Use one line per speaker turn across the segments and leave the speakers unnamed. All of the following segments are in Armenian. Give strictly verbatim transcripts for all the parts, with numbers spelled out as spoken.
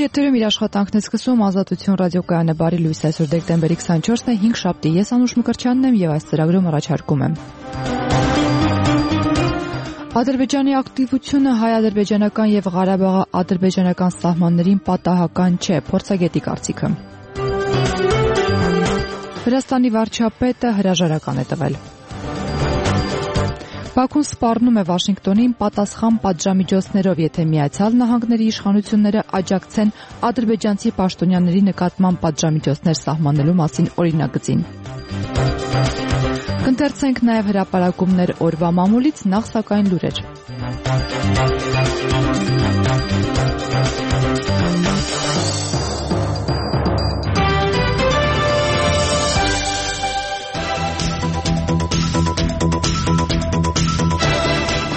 Եթերում իր աշխատանքն է սկսում Ազատություն ռադիոկայանը բարի լույս այսօր դեկտեմբերի քսանչորսն է հինգշաբթի ես Անուշ Մկրտչյանն եմ եւ այս ծրագրում առաջարկում եմ Ադրբեջանի ակտիվությունը հայ-ադրբեջանական եւ Ղարաբաղի-ադրբեջանական սահմաններին պատահական չէ, փորձագետի կարծիքը Վրաստանի վարչապետը հրաժարական է տվել Բաքուն սպառնում է Վաշինգտոնին պատասխան պատժամիջոցներով, եթե Միացյալ Նահանգների իշխանությունները աջակցեն ադրբեջանցի պաշտոնյաների նկատմամբ պատժամիջոցներ սահմանելու մասին օրինագծին։ Կընթերցենք նաև հրապարակումներ օրվա մամուլից, նախ սակայն լուրեր։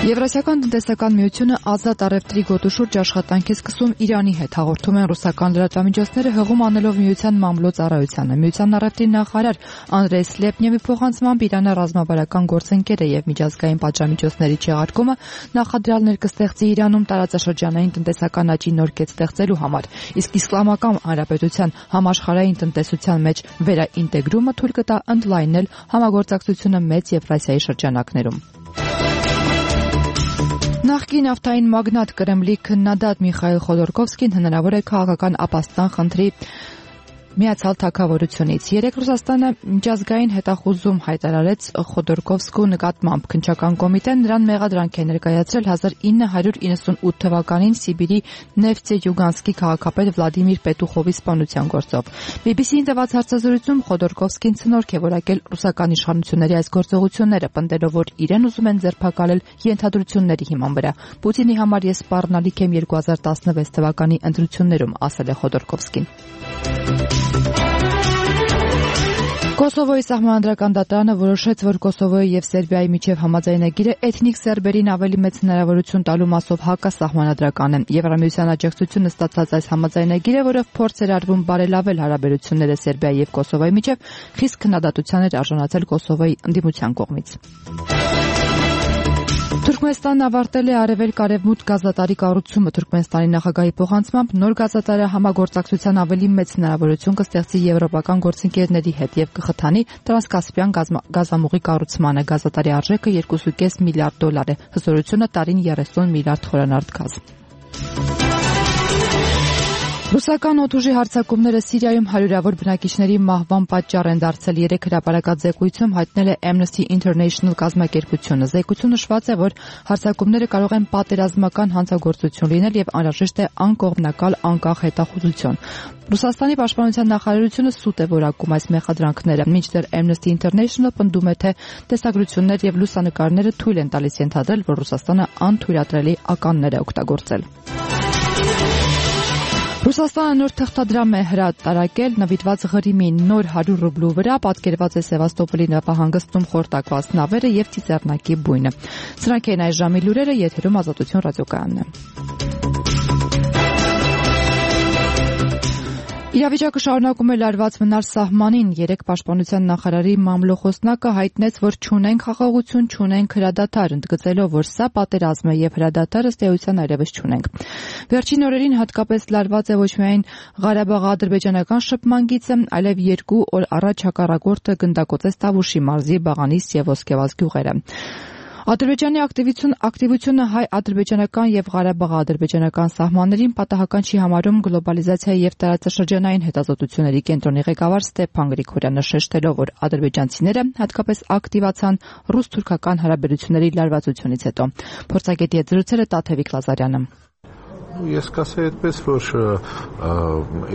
Եվրասիական տնտեսական միությունը ազատ առևտրի գոտու շուրջ աշխատանք է սկսում Իրանի հետ, հաղորդում են ռուսական լրատվամիջոցները հղում անելով միության մամլո ծառայությանը։ Միության առևտրի նախարար Անդրեյ Սլեպնևի փոխանցմամբ Իրանը ռազմավարական գործընկեր է եւ միջազգային պատժամիջոցների չեղարկումը նախադրյալներ կստեղծի Իրանում տարածաշրջանային տնտեսական աճի նոր կետ ստեղծելու համար, իսկ Իսլամական Հանրապետության համաշխարհային տնտեսության մեջ վերաինտեգրումը թույլ կտա ընդլայնել համագործակցությունը մեծ Եվրասիայի շրջանակներում։ Նախկին նավթային մագնատ Կրեմլի քննադատ Միխայիլ Խոդորկովսկին հնարավոր է քաղաքական ապաստան խնդրի Միացյալ Թագավորությունից։ Երեկ Ռուսաստանը միջազգային հետախուզում հայտարարեց Խոդորկովսկու նկատմամբ քննչական կոմիտեն նրան մեղադրանք է ներկայացրել հազար ինը հարյուր իննսունութ թվականին Սիբիրի Նեֆտեյուգանսկի քաղաքապետ Վլադիմիր Պետուխովի սպանության գործով։ բի բի սի-ին տված հարցազրույցում Խոդորկովսկին ցնորք է որակել ռուսական իշխանությունների այս գործողությունները, պնդելով, որ իրեն ուզում են ձերբակալել ենթադրությունների հիման վրա։ Պուտինի համար ես սպառնալիք եմ երկու հազար տասնվեց թվականի ընտրություններում, ասել է Խոդորկովսկին։ Կոսովոյի սահմանադրական դատարանը որոշեց, որ Կոսովոյի եւ Սերբիայի միջև համաձայնագիրը էթնիկ սերբերին ավելի մեծ հնարավորություն տալու մասով հակասահմանադրական է։ Եվրամիության աջակցությունը ստացած այս համաձայնագիրը, որով փորձ էր արվում բարելավել հարաբերությունները Սերբիայի եւ Կոսովոյի միջև, խիստ քննադատության էր արժանացել Կոսովոյի ընդդիմության կողմից։ Թուրքմենստանն ավարտել է արևելք-արևմուտք գազատարի կառուցումը։ Թուրքմենստանի նախագահի փոխանցմամբ նոր գազատարը համագործակցության ավելի մեծ հնարավորություն կստեղծի եվրոպական գործընկերների հետ եւ կխթանի տրանսկասպյան գազամուղի կառուցմանը։ Գազատարի արժեքը երկու կόμμα պենս միլիարդ դոլար է, հզորությունը տարին երեսուն միլիարդ խորանարդ գազ։ Ռուսական օդուժի հարձակումները Սիրիայում հարյուրավոր բնակիչների մահվան պատճառ են դարձել։ Երեք հրապարակած զեկույցում հայտնել է Amnesty International կազմակերպությունը։ Զեկույցում նշված է, որ հարձակումները կարող են պատերազմական հանցագործություն լինել եւ անհրաժեշտ է անկողմնակալ անկախ հետախուզություն։ Ռուսաստանի պաշտպանության նախարարությունը սուտ է որակում այս մեղադրանքները, մինչդեռ Amnesty International պնդում է, թե տեսագրություններ եւ լուսանկարները թույլ են տալիս ենթադրել, որ Ռուսաստանը անթույլատրելի ականներ է օգտագործել։ Ռուսաստանը նոր թղթադրամ է հրատարակել նվիրված Ղրիմի նոր հարյուր ռուբլու վրա պատկերված է Սևաստոպոլի նավահանգստում խորտակված նավերը եւ ծիծեռնակի բույնը։ Սրանք են այս ժամի լուրերը, եթերում Ազատություն ռադիոկայանն է։ Իրավիճակը շարունակում է լարված մնալ սահմանին։ Երեկ պաշտպանության նախարարի մամլոխոսնակը հայտնեց, որ չունենք խաղաղություն, չունենք հրադադար, ընդգծելով, որ սա պատերազմ է եւ հրադադարը ըստ էության այլևս չունենք։ Վերջին օրերին հատկապես լարված է ոչ միայն Ղարաբաղ-ադրբեջանական շփման գիծը, այլև երկու օր առաջ հակառակորդը գնդակոծեց Տավուշի մարզի Բաղանիս եւ Ոսկեվազ գյուղերը։ Ադրբեջանի ակտիվությունը հայ-ադրբեջանական եւ Ղարաբաղ-ադրբեջանական սահմաններին պատահական չի համարում գլոբալիզացիայի եւ տարածաշրջանային հետազոտությունների կենտրոնի ղեկավար Ստեփան Գրիգորյանը, շեշտելով, որ ադրբեջանցիները հատկապես ակտիվացան ռուս-թուրքական հարաբերությունների լարվածությունից հետո։ Փորձագետի հետ զրուցել է Տաթևիկ Լազարյանը։
Ես կասեի այդպես, որ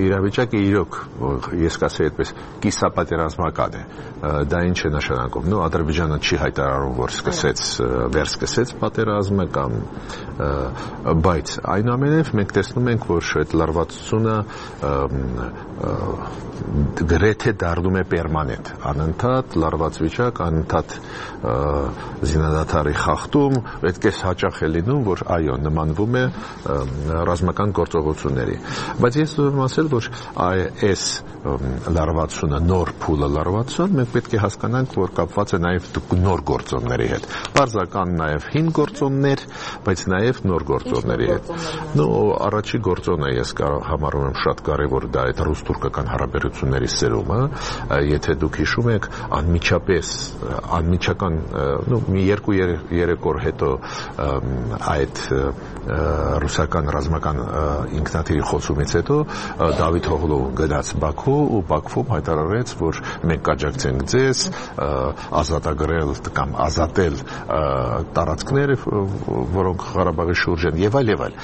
իրավիճակը իրոք, ես կասեի այդպես, կիսապատերազմական է։ Դա ինչ է նշանակում։ Նո, Ադրբեջանը չի հայտարարում, որ սկսեց, վերսկսեց պատերազմը կամ, բայց այնուամենայնիվ մենք տեսնում ենք, որ այդ լարվածությունը գրեթե դառնում է պերմանենտ, անընդհատ լարված վիճակ, անընդհատ զինադադարի խախտում, այդպես հաճախ է լինում, որ այո, նմանվում է ռազմական գործողությունների։ Բայց ես ուզում եմ ասել, որ այս լարվածությունը, նոր փուլը լարվածություն, մենք պետք է հասկանանք, որ կապված է նաև նոր գործոնների հետ։ Պարզական նաև հին գործոններ, բայց նաև նոր գործոնների հետ։ Նո, առաջի գործոնը ես համարում եմ շատ կարևոր, դա այդ ռուս-թուրքական հարաբերությունների սերումը, եթե դուք հիշում եք, անմիջապես, անմիջական, նո, մի երկու երեք օր հետո այդ ռուսական ռազմական ինքնաթիռի խոցումից հետո Դավիթ Օղլովը գնաց Բաքու ու Բաքվում հայտարարեց, որ մենք կաջակցենք ձեզ ազատագրել կամ ազատել տարածքները, որոնք Ղարաբաղի շուրջ են եւ այլ եւ այլ։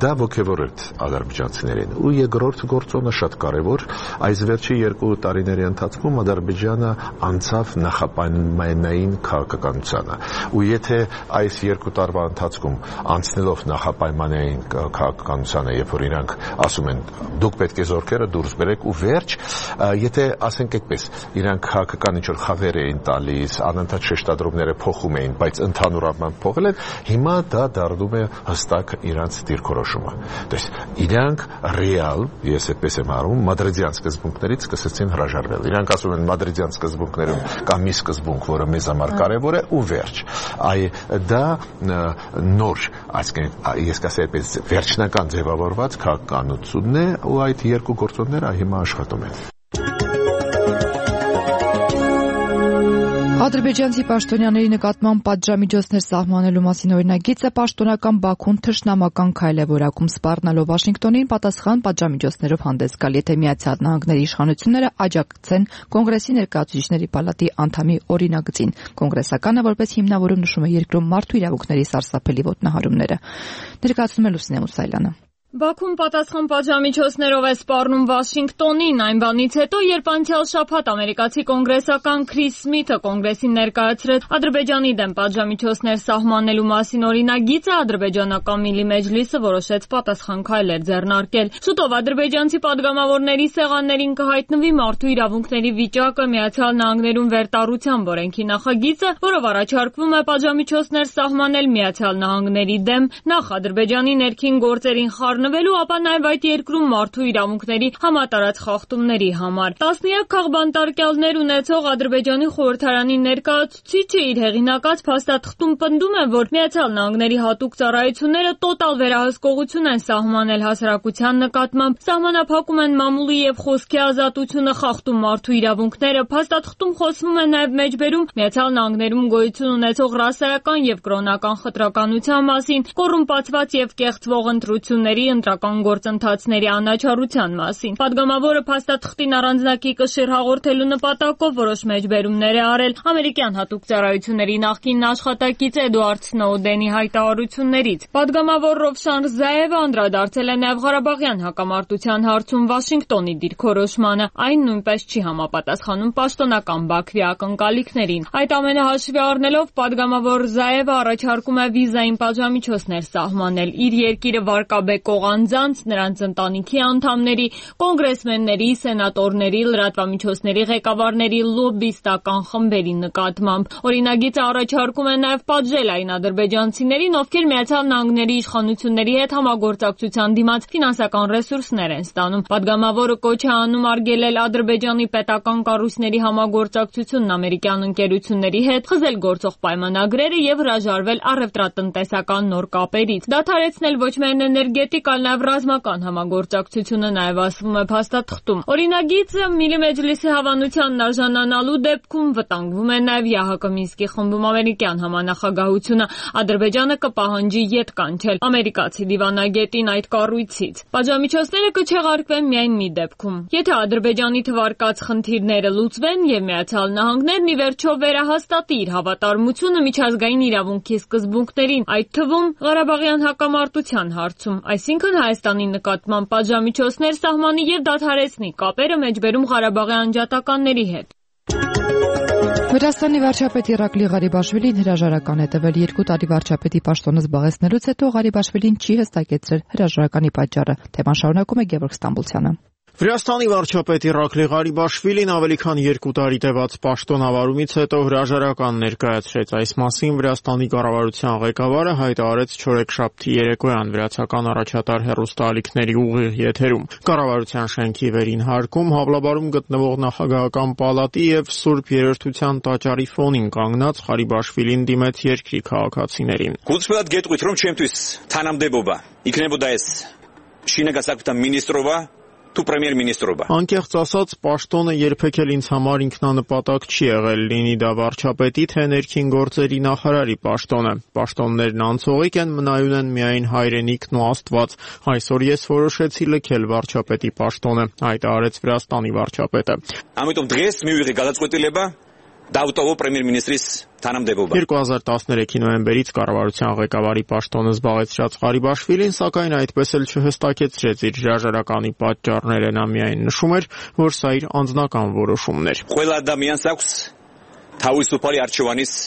Դա ոգևորեց ադրբեջանցիներին։ Ու երկրորդ գործոնը շատ կարևոր, այս վերջի երկու տարիների ընթացքում Ադրբեջանը անցավ նախապայմանային քաղաքականությանը։ Ու եթե այս երկու տարվա ընթացքում անցնելով նախապայմանային քաղաքականությանը, երբ որ իրանք ասում են դուք պետք է զորքերը դուրս բերեք ու վերջ, եթե ասենք այդպես, իրանք քաղաքական ինչ-որ խաղեր էին տալիս, անընդհատ շեշտադրումները փոխում էին, բայց ընդհանուր առմամբ փոխել են, հիմա դա դառնում է հստակ իրանք դիրքորոշումը։ Դες իրանք ռեալ, ես այդպես եմ հարում, մադրիդյան սկզբունքներից սկսեցին հրաժարվել։ Իրանք ասում են մադրիդյան սկզբունքներում կա մի սկզբունք, որը մեզ համար կարևոր է ու վերջ։ Այ դա նոր, այսինքն ես կասեի այդպես վերջնական ձևավորված քաղաքականությունն է ու այդ երկու գործոնները հիմա աշխատում են։
Ադրբեջանցի պաշտոնյաների նկատմամբ պատժամիջոցներ սահմանելու մասին օրինագիծը պաշտոնական Բաքուն թշնամական քայլ է որակում, սպառնալով Վաշինգտոնին պատասխան պատժամիջոցներով հանդես գալ, եթե Միացյալ Նահանգների իշխանությունները աջակցեն Կոնգրեսի ներկայացուցիչների պալատի անդամի օրինագծին։ Կոնգրեսականը որպես հիմնավորում նշում է երկրում մարդու իրավունքների սարսափելի ոտնահարումները։ Ներկայացնում է Լուսինե Մուսայելյանը։
Բաքուն պատասխան պատժամիջոցներով է սպառնում Վաշինգտոնին այն բանից հետո, երբ անցյալ շաբաթ ամերիկացի կոնգրեսական Քրիս Սմիթը կոնգրեսին ներկայացրեց Ադրբեջանի դեմ պատժամիջոցներ սահմանելու մասին օրինագիծը, ադրբեջանական Միլի Մեջլիսը որոշեց պատասխան քայլեր ձեռնարկել։ Շուտով ադրբեջանցի падգամավորների սեղաններին կհայտնվի մարդու իրավունքների վիճակը Միացյալ Նահանգներում վերտառությամբ օրենքի նախագիծը, որով առաջարկվում է պատժամիջոցներ սահմանել Միացյալ Նահանգների դեմ նախ Ադրբեջանի ներքին գործերին նվելու, ապա նաև այդ երկրում մարդու իրավունքների համատարած խախտումների համար։ Տասնյակ քաղբանտարկյալներ ունեցող Ադրբեջանի խորհրդարանի ներկայացուցիչը իր հեղինակած փաստաթղթում պնդում է, որ Միացյալ Նահանգների հատուկ ծառայությունները տոտալ վերահսկողություն են սահմանել հասարակության նկատմամբ, սահմանափակում են մամուլի եւ խոսքի ազատությունը, խախտում մարդու իրավունքները։ Փաստաթղթում խոսվում է նաև մեջբերում Միացյալ Նահանգներում գոյություն ունեցող ռասայական եւ կրոնական խտրականության մասին, կոռումպացված եւ կեղծվող ընտրությունների ընտրական գործընթացների անաչառության մասին։ Պատգամավորը փաստաթղթին առանձնակի կշիռ հաղորդելու նպատակով որոշ մեջբերումներ է արել ամերիկյան հատուկ ծառայությունների նախկին աշխատակից Էդուարդ Սնոուդենի հայտարարություններից։ Պատգամավոր Ռովշան Ռզաևը անդրադարձել է նաև Ղարաբաղյան հակամարտության հարցում Վաշինգտոնի դիրքորոշմանը։ Այն նույնպես չի համապատասխանում պաշտոնական Բաքվի ակնկալիքներին։ Այդ ամենը հաշվի առնելով պատգամավոր Ռզաևը առաջարկում է վիզային պատժամիջոցներ սահմանել իր երկիրը վարկաբեկող անձանց, նրանց ընտանիքի անդամների, կոնգրեսմենների, սենատորների, լրատվամիջոցների ղեկավարների, լոբբիստական խմբերի նկատմամբ։ Օրինագիծը առաջարկում է նաև պատժել այն ադրբեջանցիներին, ովքեր Միացյալ Նահանգների իշխանությունների հետ համագործակցության դիմաց ֆինանսական ռեսուրսներ են ստանում։ Պատգամավորը կոչ է անում արգելել Ադրբեջանի պետական կառույցների համագործակցությունն ամերիկյան ընկերությունների հետ, խզել գործող պայմանագրերը եւ հրաժարվել առևտրատնտեսական նոր կապերից։ Դադարեցնել ոչ միայն էներգետիկ, այլ նաև ռազմական համագործակցությունը, նաև ասվում է փաստաթղթում։ Օրինագիծը Միլի Մեջլիսի հավանությանն արժանանալու դեպքում վտանգվում է նաև ԵԱՀԿ Մինսկի խմբում ամերիկյան համանախագահությունը։ Ադրբեջանը կպահանջի ետ կանչել ամերիկացի դիվանագետին այդ կառույցից։ Պատժամիջոցները կչեղարկվեն միայն մի դեպքում, եթե Ադրբեջանի թվարկած խնդիրները լուծվեն եւ Միացյալ Նահանգներն ի վերջո վերահաստատի իր հավատարմությունը միջազգային իրավունքի սկզբունքներին, այդ թվում Ղարաբաղյան հակամարտության հարցում, այսինքն Հայաստանի նկատմամբ պատժամիջոցներ սահմանի եւ դադարեցնի կապերը մեջբերում Ղարաբաղի անջատականների հետ։
Վրաստանի վարչապետ Իրակլի Ղարիբաշվիլին հրաժարական է տվել երկու տարի վարչապետի պաշտոնը զբաղեցնելուց հետո Ղարիբաշվիլին չի հստակեցրել հրաժարականի պատճառը։ Թեման շարունակում է Գևորգ Ստամբուլցյանը։
Վրաստանի վարչապետ Իրակլի Ղարիբաշվիլին ավելի քան երկու տարի տևած պաշտոնավարումից հետո հրաժարական ներկայացրեց։ Այս մասին Վրաստանի կառավարության ղեկավարը հայտարարեց չորեքշաբթի երեկոյան վրացական առաջատար հեռուստաալիքների ուղիղ եթերում։ Կառավարության շենքի վերին հարկում Հավլաբարում գտնվող նախագահական պալատի եւ Սուրբ Երրորդության տաճարի ֆոնին կանգնած Ղարիբաշվիլին դիմեց երկրի քաղաքացիներին։
Գուցպետ գետույթրում չեմ տույս թանամդեբոբա իքնեբոդայս շինագասակտա մինիստրովա Თუ պրեմիեր-մինիստրովա։
Անկեղծ ասած, պաշտոնը երբեք էլ ինձ համար ինքնանպատակ չի եղել, լինի դա վարչապետի թե ներքին գործերի նախարարի պաշտոնը։ Պաշտոններն անցողիկ են, մնայուն են միայն հայրենիքն ու Աստված։ Այսօր ես որոշեցի լքել վարչապետի պաշտոնը, հայտարարեց Վրաստանի վարչապետը։
Ամենտով դրես մի ուղի գալացկոտելեբա Դավթովո պրեմիեր-մինիստրիս թանամդեբոբա։
երկու հազար տասներեքի նոյեմբերից կառավարության ղեկավարի պաշտոնը զբաղեցրած Ղարիբաշվիլին, սակայն այդպես էլ չհստակեցրեց իր հրաժարականի պատճառները, նա միայն նշում էր, որ սա իր անձնական որոշումն էր։
Ყველა ადამიანს აქვს თავისუფალი არჩევანის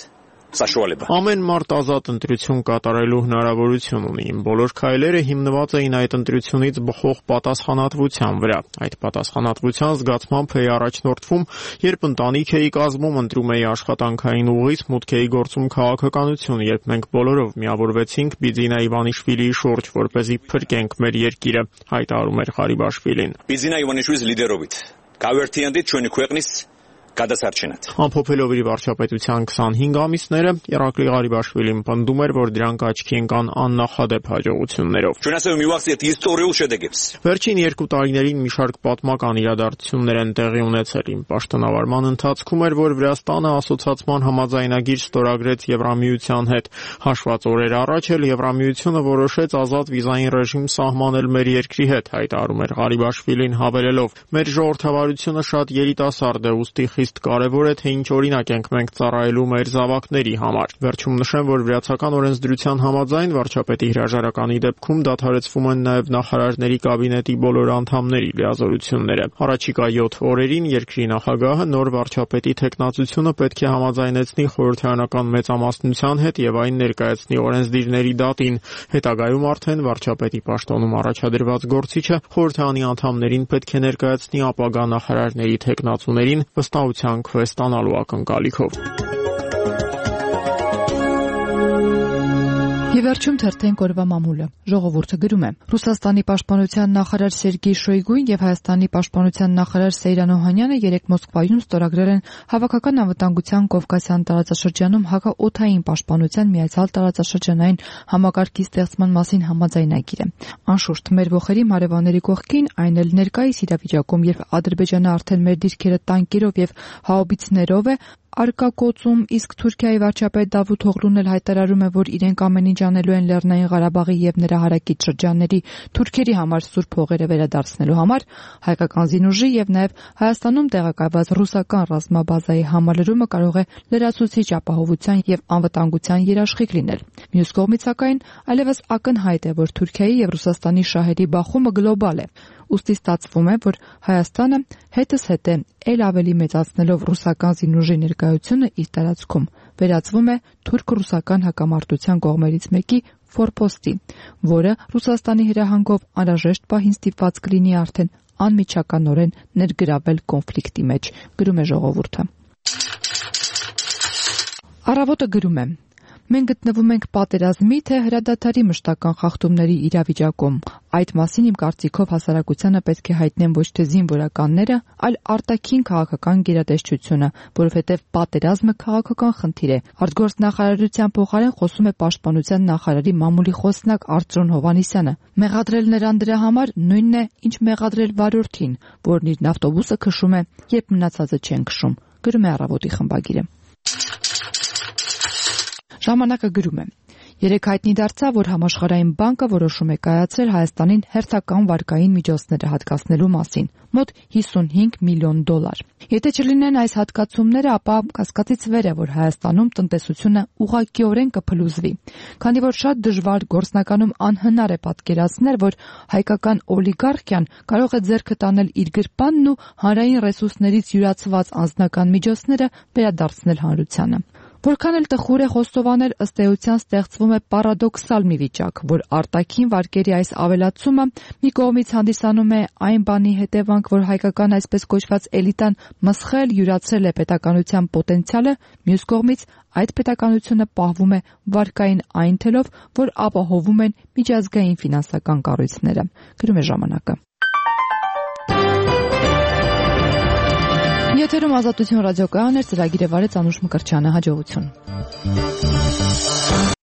սաշուալեբա։
Ամեն մարդ ազատ ընտրություն կատարելու հնարավորություն ունի։ Բոլոր քայլերը հիմնված էին այդ ընտրությունից բխող պատասխանատվության վրա։ Այդ պատասխանատվության զգացմամբ էի առաջնորդվում, երբ ընտանիք էի կազմում, ընտրում էի աշխատանքային ուղից, մուտք էի գործում քաղաքականություն, երբ մենք բոլորով միավորվեցինք Բիձինա Իվանիշվիլիի շուրջ, որպեսզի փրկենք մեր երկիրը, հայտարարում էր Ղարիբաշվիլին։
Բիձինա Իվանիշվիլիս լիդերովիտ Կավերթիանդի չունի քուեղնիս Կադասարչենատ։
Ամփոփելով իր վարչապետության քսանհինգ ամիսները, Իրակլի Ղարիբաշվիլին պնդում էր, որ դրանք աչքի ընկան աննախադեպ հաջողություններով։ Վերջին երկու տարիներին մի շարք պատմական իրադարձություններ են տեղի ունեցել։ Իմ պաշտոնավարման ընթացքում էր, որ Վրաստանը ասոցիացման համաձայնագիր ստորագրեց Եվրամիության հետ։ Հաշված օրեր առաջ էլ Եվրամիությունը որոշեց ազատ վիզային ռեժիմ սահմանել մեր երկրի հետ, հայտարարում էր Ղարիբաշվիլին հավելելով. Մեր ժողովրդավարությունը շատ երիտասարդ է, ուստի Իսկ կարևոր է, թե ինչ օրինակ ենք մենք ծառայելու մեր զավակների համար։ Վերջում նշեմ, որ վրացական օրենսդրության համաձայն վարչապետի հրաժարականի դեպքում դադարեցվում են նաև նախարարների կաբինետի բոլոր անդամների լիազորությունները։ Առաջիկա յոթ օրերին երկրի նախագահը նոր վարչապետի թեկնածությունը պետք է համաձայնեցնի խորհրդարանական մեծամասնության հետ եւ այն ներկայացնի օրենսդիրների դատին։ Հետագայում արդեն վարչապետի պաշտոնում առաջադրված գործիչը խորհրդարանի անդամներին պետք է ներկայացնի ապագա նախարարների թեկնածուներին վստահության քվե ստանալու ակնկալիքով։
Եվ վերջում թերթենք օրվա մամուլը։ Ժողովուրդը գրում է. Ռուսաստանի պաշտպանության նախարար Սերգեյ Շոյգուն եւ Հայաստանի պաշտպանության նախարար Սեյրան Օհանյանը երեկ Մոսկվայում ստորագրել են հավաքական անվտանգության Կովկասյան տարածաշրջանում հակաօդային պաշտպանության միացյալ տարածաշրջանային համակարգի ստեղծման մասին համաձայնագիրը։ Անշուշտ, մեր ողերի մարևանների կողքին, այն էլ ներկայիս իրավիճակում, երբ Ադրբեջանը արդեն մեր դիրքերը տանկերով եւ հաուբիցներով է արկակոծում, իսկ Թուրքիայի վարչապետ Դավութ Օղլուն էլ հայտարարում է, որ իրենք ամեն ինչ անելու են Լեռնային Ղարաբաղի եւ նրա հարակից շրջանների թուրքերի համար սուրբ հողերը վերադարձնելու համար, հայկական զինուժի եւ նաեւ Հայաստանում տեղակայված ռուսական ռազմաբազայի համալրումը կարող է լրացուցիչ ապահովության եւ անվտանգության երաշխիք լինել։ Մյուս կողմից, սակայն, այլևս ակնհայտ է, որ Թուրքիայի եւ Ռուսաստանի շահերի բախումը գլոբալ է։ Ուստի ստացվում է, որ Հայաստանը հետս հետ է ել ավելի մեծացնելով ռուսական զինուժի ներկայությունը իր տարածքում, վերածվում է թուրք-ռուսական հակամարտության կողմերից մեկի ֆորպոստի, որը Ռուսաստանի հրահանգով անհրաժեշտ պահին ստիպված կլինի արդեն անմիջականորեն ներգրավել կոնֆլիկտի մեջ, գրում է ժողովուրդը։ Առավոտը գրում է. Մենք գտնվում ենք պատերազմի թե հրադադարի մշտական խախտումների իրավիճակում։ Այդ մասին իմ կարծիքով հասարակությանը պետք է հայտնեն ոչ թե զինվորականները, այլ արտաքին քաղաքական գերատեսչությունը, որովհետև պատերազմը քաղաքական խնդիր է։ Արտգործնախարարության փոխարեն խոսում է պաշտպանության նախարարի մամուլի խոսնակ Արծրուն Հովհաննիսյանը։ Մեղադրել նրան դրա համար նույնն է, ինչ մեղադրել վարորդին, որն իր ավտոբուսը քշում է, երբ մնացածը չեն քշում, գրում է Առավոտի խմբագիրը։ Ժամանակը գրում է. Երեկ հայտնի դարձավ, որ Համաշխարհային բանկը որոշում է կայացրել Հայաստանին հերթական վարկային միջոցները հատկացնելու մասին՝ մոտ հիսունհինգ միլիոն դոլար։ Եթե չլինեն այս հատկացումները, ապա կասկածից վեր է, որ Հայաստանում տնտեսությունը ուղղակիորեն կփլուզվի, քանի որ շատ դժվար, գործնականում անհնար է պատկերացնել, որ հայկական օլիգարխիան կարող է ձեռքը տանել իր գրպանն ու հանրային ռեսուրսներից յուրացված անձնական միջոցները վերադարձնել հանրությանը։ Որքան էլ տխուր է խոստովանել, ըստ էության ստեղծվում է պարադոքսալ մի վիճակ, որ արտաքին վարկերի այս ավելացումը մի կողմից հանդիսանում է այն բանի հետևանք, որ հայկական այսպես կոչված էլիտան մսխել, յուրացրել է պետականության պոտենցիալը, մյուս կողմից այդ պետականությունը պահվում է վարկային այն թելով, որ ապահովում են միջազգային ֆինանսական կառույցները, գրում է ժամանակը։ Եթերում Ազատություն ռադիոկայանն էր, ծրագիրը վարեց Անուշ Մկրտչյանը, հաջողություն։